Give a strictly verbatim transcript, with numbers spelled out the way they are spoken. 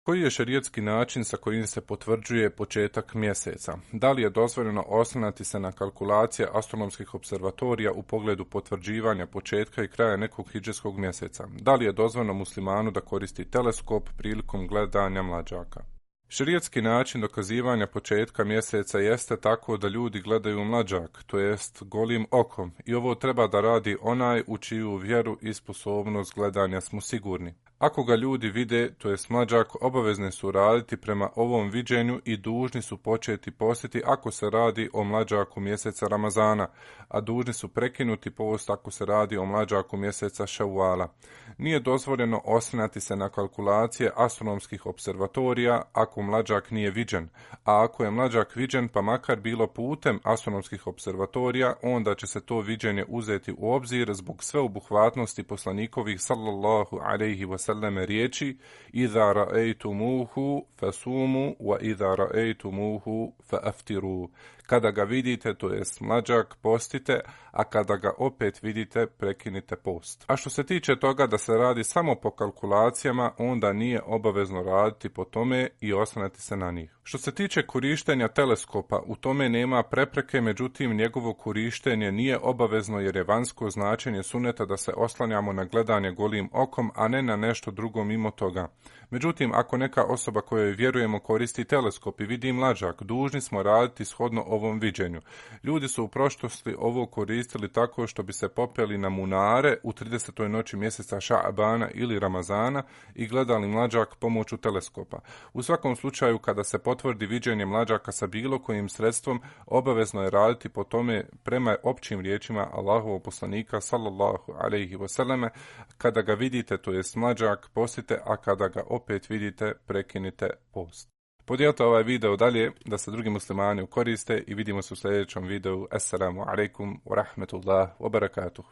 Koji je šerijatski način sa kojim se potvrđuje početak mjeseca? Da li je dozvoljeno oslanjati se na kalkulacije astronomskih observatorija u pogledu potvrđivanja početka i kraja nekog hidžetskog mjeseca? Da li je dozvoljeno muslimanu da koristi teleskop prilikom gledanja mlađaka? Šerijatski način dokazivanja početka mjeseca jeste tako da ljudi gledaju mlađak, to jest golim okom, i ovo treba da radi onaj u čiju vjeru i sposobnost gledanja smo sigurni. Ako ga ljudi vide, to jest mlađak, obavezni su raditi prema ovom viđenju i dužni su početi postiti ako se radi o mlađaku mjeseca Ramazana, a dužni su prekinuti post ako se radi o mlađaku mjeseca Ševala. Nije dozvoljeno oslanjati se na kalkulacije astronomskih observatorija ako mlađak nije viđen, a ako je mlađak viđen pa makar bilo putem astronomskih observatorija, onda će se to viđenje uzeti u obzir zbog sveobuhvatnosti poslanikovih sallallahu alejhi ve selleme riječi: "Iza ra'aytumuhu fasumu wa iza ra'aytumuhu fa'aftiru." Kada ga vidite, to jest mlađak, postite, a kada ga opet vidite, prekinite post. A što se tiče toga da se radi samo po kalkulacijama, onda nije obavezno raditi po tome i oslanjati se na njih. Što se tiče korištenja teleskopa, u tome nema prepreke, međutim njegovo korištenje nije obavezno jer je vanjsko značenje suneta da se oslanjamo na gledanje golim okom, a ne na nešto drugo mimo toga. Međutim, ako neka osoba kojoj vjerujemo koristi teleskop i vidi mlađak, dužni smo raditi shodno ovom viđenju. Ljudi su u prošlosti ovo koristili tako što bi se popeli na munare u tridesetoj noći mjeseca Ša'bana ili Ramazana i gledali mlađak pomoću teleskopa. U svakom slučaju, kada se potvrdi viđenje mlađaka sa bilo kojim sredstvom, obavezno je raditi po tome prema općim riječima Allahovog poslanika sallallahu alejhi ve selleme: kada ga vidite, to jest mlađak, postite, a kada ga opet vidite, prekinite post. Podijelite ovaj video dalje da se drugi muslimani koriste i vidimo se u sljedećem videu. Assalamu alaikum wa rahmetullah wa barakatuh.